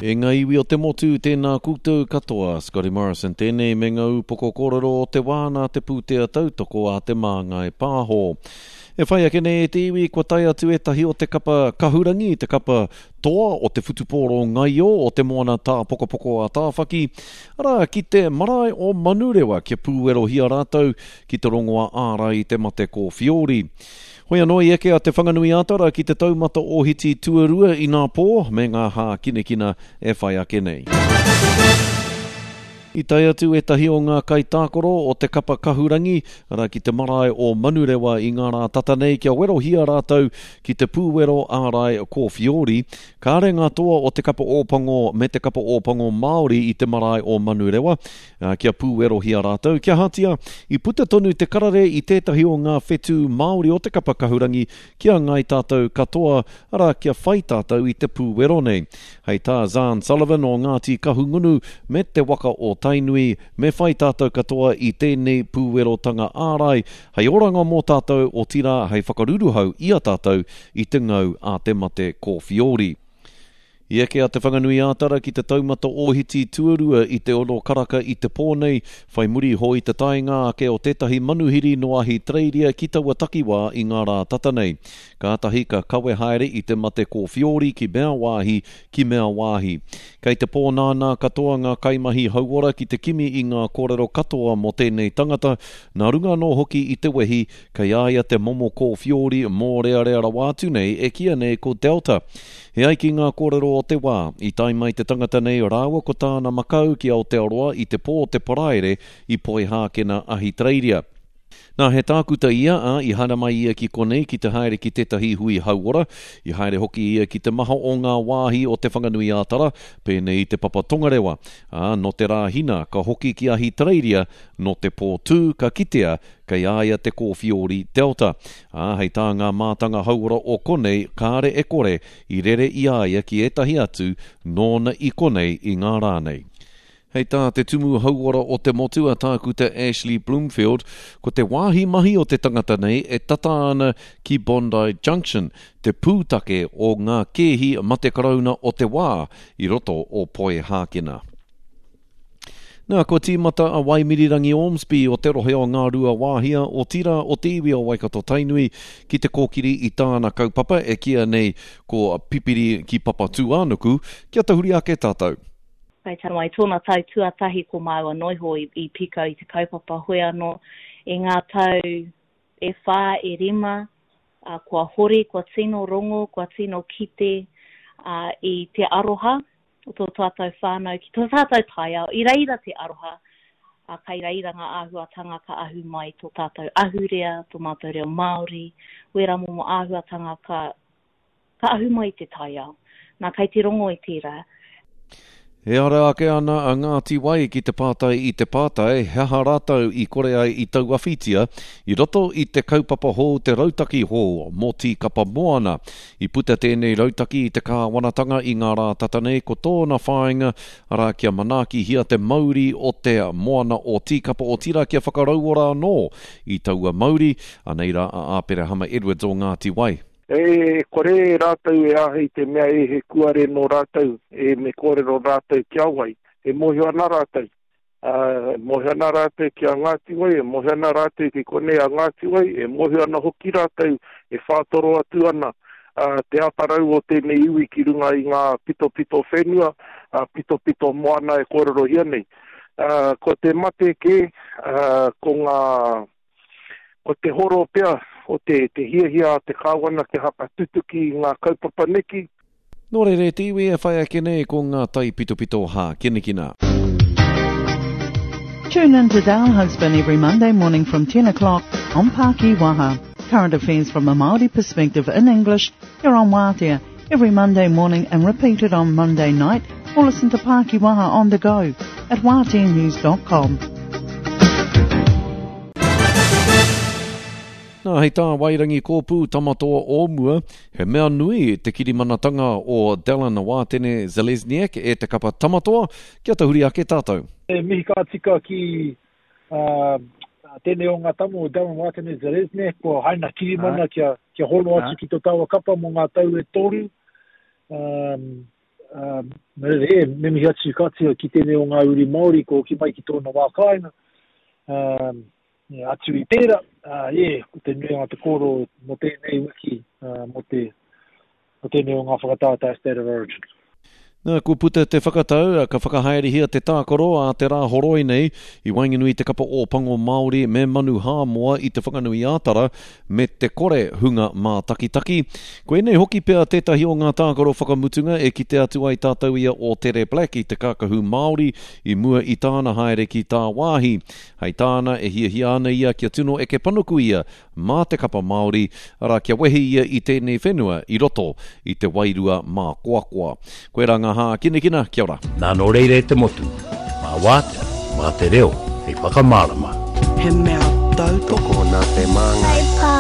E ngā iwi o te motu, tēnā koutou katoa. Scotty Morrison tēnei me ngā upoko kōrero o te wā nā te pūtea tautoko a Te Māngai Pāho. E whai ake nei e te iwi, kua tae atu ētahi o te kapa kahurangi, te kapa toa o te whutupōro ngaio o te moana tāpokopoko a Tāwhaki, arā, ki te marae o Manurewa kia pūwerohia rātou ki te rongoā ārai i te mate kōwhiori. Hoi anō i eke a Te Whanganui-a-Tara ki te taumata ōhiti tuarua inapō me ngā hākinakina e whai ake nei. I tae atu ētahi o ngā kaitākaro o te kapa kahurangi, arā ki te marae o Manurewa i ngā rā tata nei kia werohia rātou ki te pūwero ārai kōwhiori. Kāre ngā toa o te kapa Ōpango me te kapa Ōpango Māori i te marae o Manurewa, ā, kia pūwerohia rātou, kia ahatia, i puta tonu te karere i tētahi o ngā whetū Māori o te kapa kahurangi ki a ngāi tātou katoa, arā, kia whai tātou i te pūwero nei. Hei tā Zarn Sullivan o Ngāti Kahungunu me te waka o Tainui, me whai tātou katoa i tēnei pūwerotanga ārai, hei oranga mō tātou, otirā, hei whakaruruhau i a tātou i te ngau a te mate kōwhiori. I eke a Te Whanganui-ā-Tara ki te taumata ōhiti tuarua i te ono karaka i te pō nei, whai muri iho i te taenga ake o tētahi manuhiri nō Ahitereiria ki taua takiwā i ngā rā tata nei. Kātahi ka kawe haere i te mate kōwhiori ki mea wāhi, ki mea wāhi. Kei te pōnānā katoa ngā kaimahi hauora ki te kimi i ngā kōrero katoa mō tēnei tangata, nā runga anō hoki i te wehi kei a ia te momo kōwhiori mōrearea rawa atu nei e kīia nei ko Delta. E ai ki ngā kōrero o te wā, i tae mai te tangata nei rāua ko tāna makau ki Aotearoa i te pō o te Paraire i Poihākena, Ahitereiria. Nā, he tākuta ia, ā, i haere mai ia ki konei ki te haere ki tētahi hui hauora. I haere hoki ia ki te maha o ngā wāhi o Te Whanganui-ā-Tara, pēnei i Te Papa Tongarewa. Ā, nō te Rāhina, ka hoki ki Ahitereiria, nō te Pōtū, ka kitea Kei a ia te kōwhiori Delta, ā, hei tā ngā mātanga hauora o konei, kāre e kore i rere i a ia ki ētahi atu nōna i konei i ngā rā nei. Hei tā te Tumu Hauora o te Motu a Tākuta Ashley Bloomfield, ko te wāhi mahi o te tangata nei e tata ana ki Bondi Junction, te pūtake o ngā kēhi mate karauna o te wā i roto o Poihākena. Nā, kua tīmata a Waimirirangi Ormsby o te rohe o Ngāruawāhia, otirā o te iwi o Waikato-Tainui, ki te kōkiri i tāna kaupapa e kīia nei ko Pipiri ki Papatūānuku, kia tahuri ake tātou. Kai Tanawai tōna tau tuatahi ko māua noiho i, i pikau i te kaupapa hoi anō i ngā tau e whā, e rima, ā, kua hori, kua tino rongo, kua tino kite, ā, i te aroha o tō tātou whānau ki tō tātou taiao, i reira te aroha, ā, kai reira ngā āhuatanga ka ahu mai tō tātou ahurea, tō mātou reo Māori, wērā momo āhuatanga ka, ka ahu mai i te taiao. Nā, kai te rongo i tērā. E ara ake ana a Ngāti Wai ki te pātai i te pātai he aha rātou i kore ai i tauawhitia i roto i te kaupapa hou te rautaki hou mō Tīkapa Moana. I puta tēnei rautaki i te kāwanatanga i ngā rā tata nei ko tōna whāinga, arā kia manaakihia te mauri o te moana o Tīkapa otirā kia whakarauora anō i taua mauri, anei rā a Āperahama Edwards o Ngāti Wai. E kore rātou e āhei te mea e he kuare nō rātou, e me kōrero rātou ki a wai, e mōhio ana rātou. Ā, e mōhio ana rātou ki a Ngāti Wai, e mōhio ana rātou ki konei a Ngāti Wai, e mōhio ana hoki rātou e whātoro atu ana te atarau o tēnei iwi ki runga i ngā pitopito whenua, pitopito moana e kōrerohia nei. Ā, ko te mate kē, ā, ko ngā, ko te horo pea o te, te hiahia a te Kāwana kia whakatutuki i ngā kaupapa neki, Nō reira e te iwi e whai ake nei ko ngā taipitopito hākinakina. Tune in to Dale Husband every Monday morning from 10 o'clock on Paki Waha. Current affairs from a Māori perspective in English here on Wātea every Monday morning and repeated on Monday night or listen to Paki Waha on the go at wāteanews.com. Nā, hei tā Wairangi Kōpū Tamatoa o mua, he mea nui te kirimanatanga o Dallin Wātene Zelezniak e te kapa Tamatoa, kia tahuri ake tātou. E mihi ka tika ki tēnei o ngā tama o Dallin Wātene Zelezniak, kua haina kirimana kia, kia hono atu ki tō tāua kapa mō ngā tau e toru. Nō reira, e, me mihi atu ka tika ki tēnei o ngā uri Māori kua hoki mai ki tōna wā kāinga. Atu i tērā, e, ko te nuinga o te kōrero mō tēnei wiki, mō te, mō tēnei o ngā whakataetae State of Origin. Nā, kua puta te whakatau, ka whakahaerehia te tākaro a te Rāhoroi nei i waenganui i te kapa Ōpango Māori me Manu Hāmoa i Te Whanganui-ā-Tara me te kore hunga mātakitaki. Koinei hoki pea tētahi o ngā tākaro whakamutunga e kite atu ai tātou i a Ōtere Black i te kākahu Māori i mua i tāna haere ki tāwāhi. Hei tāna, e hiahia ana ia kia tino eke panuku ia mā te kapa Māori, arā, kia wehi ia i tēnei whenua i roto i te wairua mākoakoa. Koirā ngā hākinakina, kia ora. Nā nō reira e te motu, mā Wātea, mā te reo hei whakamārama. He mea tautoko. Tokona te māngai.